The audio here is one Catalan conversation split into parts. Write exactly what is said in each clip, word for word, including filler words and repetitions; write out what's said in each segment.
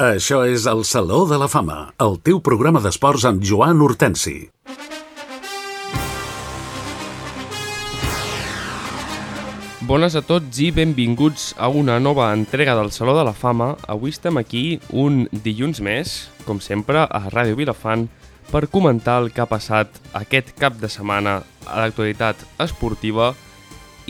Això és el Saló de la Fama, el teu programa d'esports amb Joan Hortensi. Bones a tots i benvinguts a una nova entrega del Saló de la Fama. Avui estem aquí un dilluns més, com sempre, a Ràdio Vilafant, per comentar el que ha passat aquest cap de setmana a l'actualitat esportiva.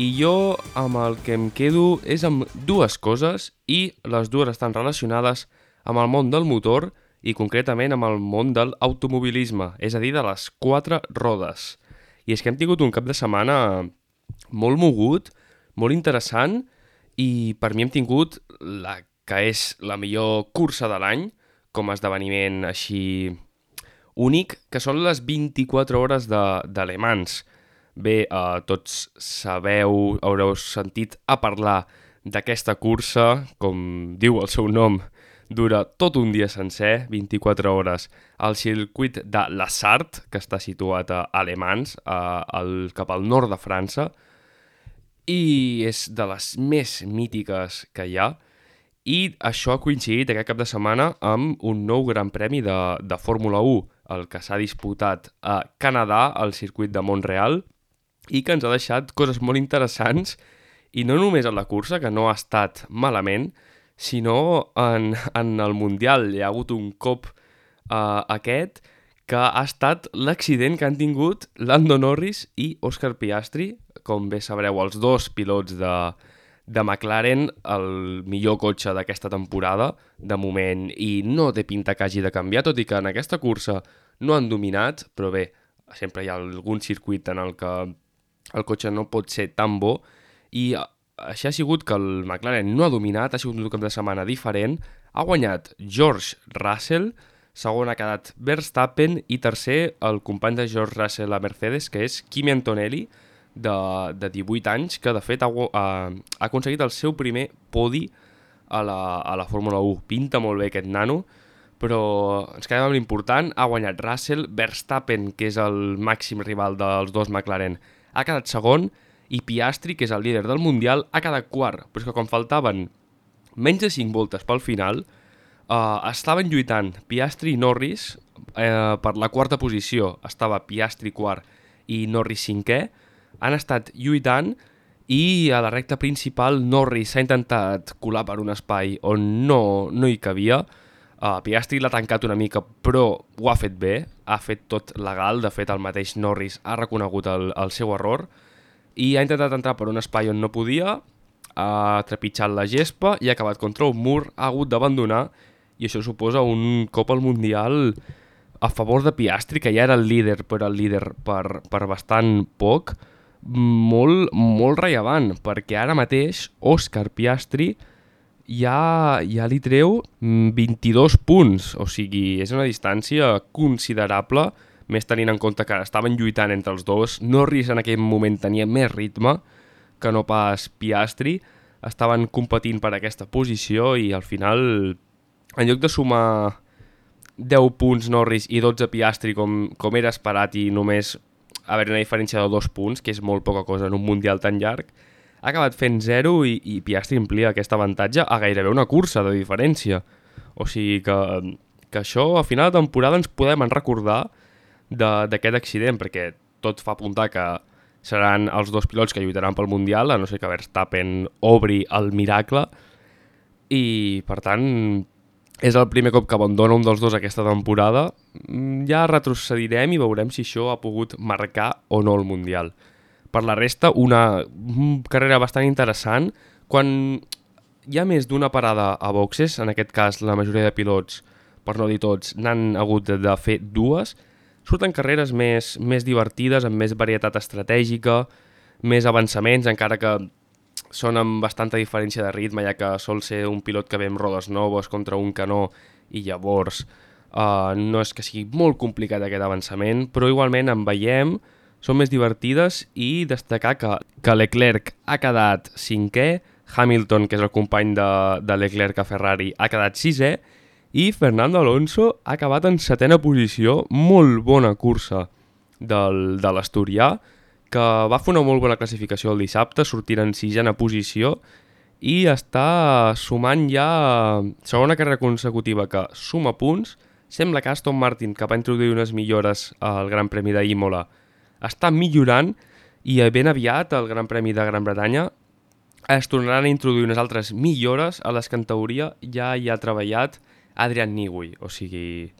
I jo amb el que em quedo és amb dues coses, i les dues estan relacionades amb el món del motor i concretament amb el món de l'automobilisme, és a dir, de les quatre rodes. I és que hem tingut un cap de setmana molt mogut, molt interessant, i per mi hem tingut la que és la millor cursa de l'any, com a esdeveniment així únic, que són les vint-i-quatre hores de, de Le Mans. Bé, eh, tots sabeu, haureu sentit a parlar d'aquesta cursa, com diu el seu nom, dura tot un dia sencer, vint-i-quatre hores, al circuit de La Sarthe, que està situat a Le Mans, a, al, cap al nord de França, i és de les més mítiques que hi ha, i això ha coincidit aquest cap de setmana amb un nou gran premi de, de Fórmula u, el que s'ha disputat a Canadà, al circuit de Montreal, i que ens ha deixat coses molt interessants, i no només en la cursa, que no ha estat malament, sinó en, en el Mundial. Hi ha hagut un cop uh, aquest que ha estat l'accident que han tingut Lando Norris i Oscar Piastri, com bé sabreu, els dos pilots de, de McLaren, el millor cotxe d'aquesta temporada, de moment, i no té pinta que hagi de canviar, tot i que en aquesta cursa no han dominat, però bé, sempre hi ha algun circuit en el que el cotxe no pot ser tan bo, i així ha sigut que el McLaren no ha dominat, ha sigut un cap de setmana diferent, ha guanyat George Russell, segon ha quedat Verstappen i tercer el company de George Russell a Mercedes, que és Kimi Antonelli, de, de divuit anys, que de fet ha, ha, ha aconseguit el seu primer podi a la, a la Fórmula u. Pinta molt bé aquest nano, però ens quedem amb l'important, ha guanyat Russell, Verstappen, que és el màxim rival dels dos McLaren, ha quedat segon, i Piastri, que és el líder del Mundial, ha quedat quart. Però és que quan faltaven menys de cinc voltes pel final, eh, estaven lluitant Piastri i Norris eh, per la quarta posició. Estava Piastri quart i Norris cinquè. Han estat lluitant i a la recta principal Norris s'ha intentat colar per un espai on no, no hi cabia. Uh, Piastri l'ha tancat una mica, però ho ha fet bé, ha fet tot legal. De fet, el mateix Norris ha reconegut el, el seu error i ha intentat entrar per un espai on no podia, ha trepitjat la gespa i ha acabat contra un mur, ha hagut d'abandonar, i això suposa un cop al Mundial a favor de Piastri, que ja era el líder, però el líder per, per bastant poc, molt, molt rellevant, perquè ara mateix Oscar Piastri ja, ja li treu vint-i-dos punts, o sigui, és una distància considerable, més tenint en compte que estaven lluitant entre els dos. Norris en aquell moment tenia més ritme que no pas Piastri, estaven competint per aquesta posició i al final, en lloc de sumar deu punts Norris i dotze Piastri com, com era esperat i només haver una diferència de dos punts, que és molt poca cosa en un Mundial tan llarg, ha acabat fent zero i, i Piastri amplia aquest avantatge a gairebé una cursa de diferència. O sigui que, que això a final de temporada ens podem recordar d'aquest accident, perquè tot fa apuntar que seran els dos pilots que lluitaran pel Mundial, a no ser que Verstappen obri el miracle, i per tant és el primer cop que abandona un dels dos aquesta temporada. Ja retrocedirem i veurem si això ha pogut marcar o no el Mundial. Per la resta, una carrera bastant interessant. Quan hi ha més d'una parada a boxes, en aquest cas la majoria de pilots, per no dir tots, n'han hagut de, de fer dues, surten carreres més, més divertides, amb més varietat estratègica, més avançaments, encara que són amb bastanta diferència de ritme, ja que sol ser un pilot que ve amb rodes noves contra un que no, i llavors uh, no és que sigui molt complicat aquest avançament, però igualment en veiem, són més divertides, i destacar que, que Leclerc ha quedat cinquè, Hamilton, que és el company de, de Leclerc a Ferrari, ha quedat sisè, i Fernando Alonso ha acabat en setena posició, molt bona cursa del, de l'Asturià, que va fer una molt bona classificació el dissabte, sortint en sisena posició, i està sumant ja segona carrera consecutiva que suma punts. Sembla que Aston Martin, que va introduir unes millores al Gran Premi d'Imola, està millorant i ben aviat el Gran Premi de Gran Bretanya es tornaran a introduir unes altres millores a les que en teoria ja hi ha treballat Adrian Newey. O sigui,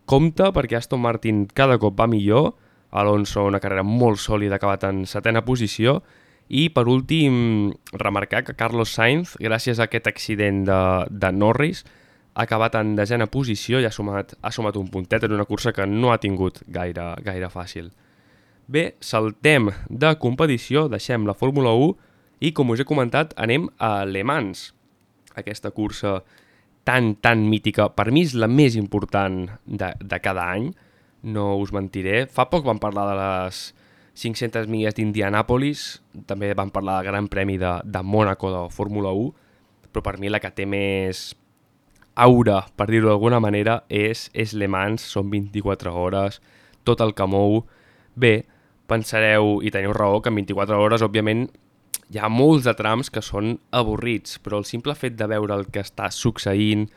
compte perquè Aston Martin cada cop va millor, Alonso una carrera molt sòlida, ha acabat en setena posició, i per últim remarcar que Carlos Sainz, gràcies a aquest accident de, de Norris, ha acabat en desena posició i ha sumat, ha sumat un puntet en una cursa que no ha tingut gaire, gaire fàcil. Bé, saltem de competició, deixem la Fórmula u i, com us he comentat, anem a Le Mans. Aquesta cursa tan, tan mítica, per mi és la més important de, de cada any, no us mentiré. Fa poc vam parlar de les cinc-centes milles d'Indianàpolis, també vam parlar del Gran Premi de, de Mònaco de Fórmula u, però per mi la que té més aura, per dir-ho d'alguna manera, és, és Le Mans, són vint-i-quatre hores, tot el que mou. Bé, pensareu, i teniu raó, que en vint-i-quatre hores, òbviament, hi ha molts de trams que són avorrits, però el simple fet de veure el que està succeint,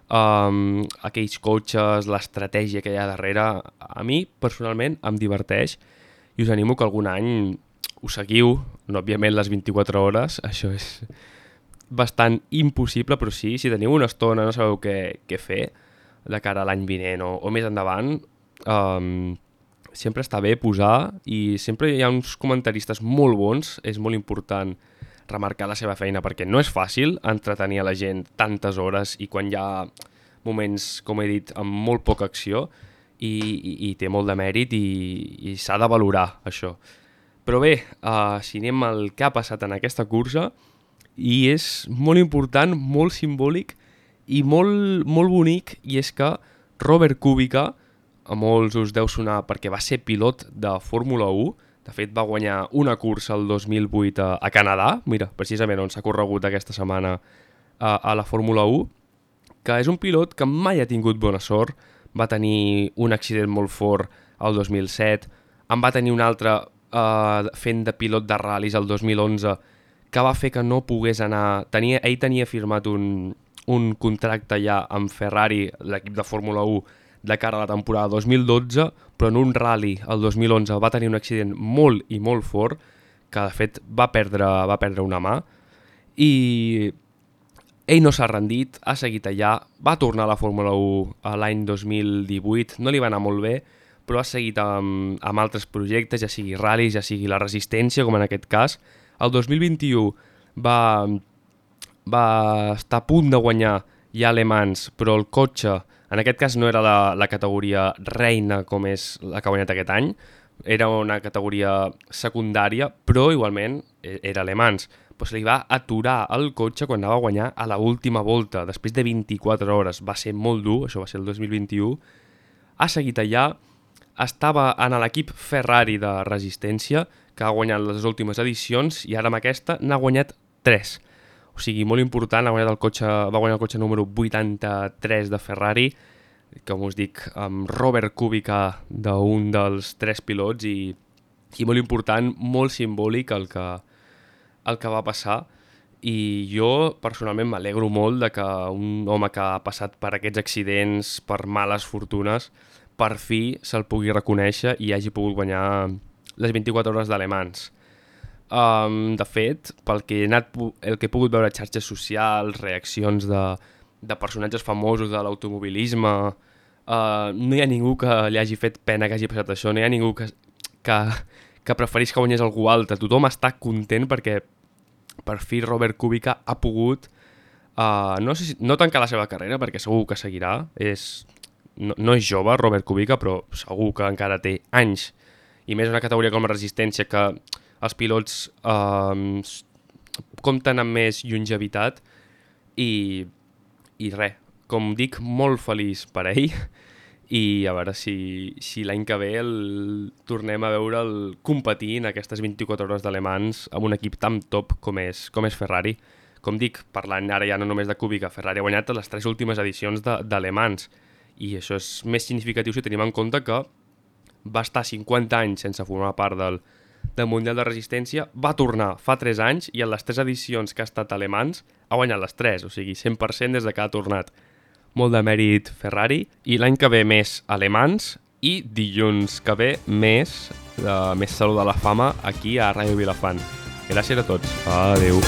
um, aquells cotxes, l'estratègia que hi ha darrere, a mi, personalment, em diverteix i us animo que algun any ho seguiu, no, òbviament les vint-i-quatre hores, això és bastant impossible, però sí, si teniu una estona, no sabeu què, què fer de cara a l'any vinent o, o més endavant, um, sempre està bé posar i sempre hi ha uns comentaristes molt bons, és molt important remarcar la seva feina perquè no és fàcil entretenir a la gent tantes hores i quan hi ha moments, com he dit, amb molt poca acció i, i, i té molt de mèrit i, i s'ha de valorar això. Però bé, uh, si anem al que ha passat en aquesta cursa, i és molt important, molt simbòlic i molt, molt bonic, i és que Robert Kubica, a molts us deu sonar perquè va ser pilot de Fórmula u, de fet va guanyar una cursa el dos mil vuit a, a Canadà, mira, precisament on s'ha corregut aquesta setmana a, a la Fórmula u, que és un pilot que mai ha tingut bona sort, va tenir un accident molt fort el dos mil set, en va tenir un altre uh, fent de pilot de ral·lis el dos mil onze, que va fer que no pogués anar... Tenia, ell tenia firmat un, un contracte ja amb Ferrari, l'equip de Fórmula u, de cara a la temporada dos mil dotze, però en un rally el dos mil onze va tenir un accident molt i molt fort, que de fet va perdre, va perdre una mà, i ell no s'ha rendit, ha seguit allà, va tornar a la Fórmula u l'any dos mil divuit, no li va anar molt bé, però ha seguit amb, amb altres projectes, ja sigui ral·lis, ja sigui la resistència, com en aquest cas. El dos mil vint-i-u va, va estar a punt de guanyar ja Le Mans, però el cotxe, en aquest cas no era la, la categoria reina com és la que ha guanyat aquest any, era una categoria secundària, però igualment era Le Mans. Però se li va aturar el cotxe quan anava a guanyar a l'última volta, després de vint-i-quatre hores. Va ser molt dur, això va ser el dos mil vint-i-u. Ha seguit allà, estava en l'equip Ferrari de resistència, que ha guanyat les últimes edicions, i ara amb aquesta n'ha guanyat tres. O sigui, molt important, ha guanyat el cotxe, va guanyar el cotxe número vuitanta-tres de Ferrari, com us dic, amb Robert Kubica d'un dels tres pilots, i, i molt important, molt simbòlic el que, el que va passar. I jo personalment m'alegro molt de que un home que ha passat per aquests accidents, per males fortunes, per fi se'l pugui reconèixer i hagi pogut guanyar les vint-i-quatre hores de Le Mans. Um, de fet, pel que he anat, el que he pogut veure a xarxes socials, reaccions de, de personatges famosos de l'automobilisme, uh, no hi ha ningú que li hagi fet pena que hagi passat això, no hi ha ningú que, que, que preferís que guanyés algú altre. Tothom està content perquè per fi Robert Kubica ha pogut, uh, no, sé si, no tancar la seva carrera, perquè segur que seguirà, és, no, no és jove Robert Kubica, però segur que encara té anys, i més una categoria com la resistència, que els pilots eh, compten amb més longevitat, i, i res, com dic, molt feliç per ell, i a veure si, si l'any que ve el, tornem a veure'l competir en aquestes vint-i-quatre hores de Le Mans amb un equip tan top com és, com és Ferrari. Com dic, parlant ara ja no només de Kubica, Ferrari ha guanyat les tres últimes edicions de, de Le Mans, i això és més significatiu si tenim en compte que va estar cinquanta anys sense formar part del, del Mundial de Resistència, va tornar fa tres anys i en les tres edicions que ha estat alemans ha guanyat les tres, o sigui, cent per cent des de que ha tornat. Molt de mèrit Ferrari, i l'any que ve més alemans i dilluns que ve més, de, més Saló de la Fama aquí a Ràdio Vilafant. Gràcies a tots. Adéu.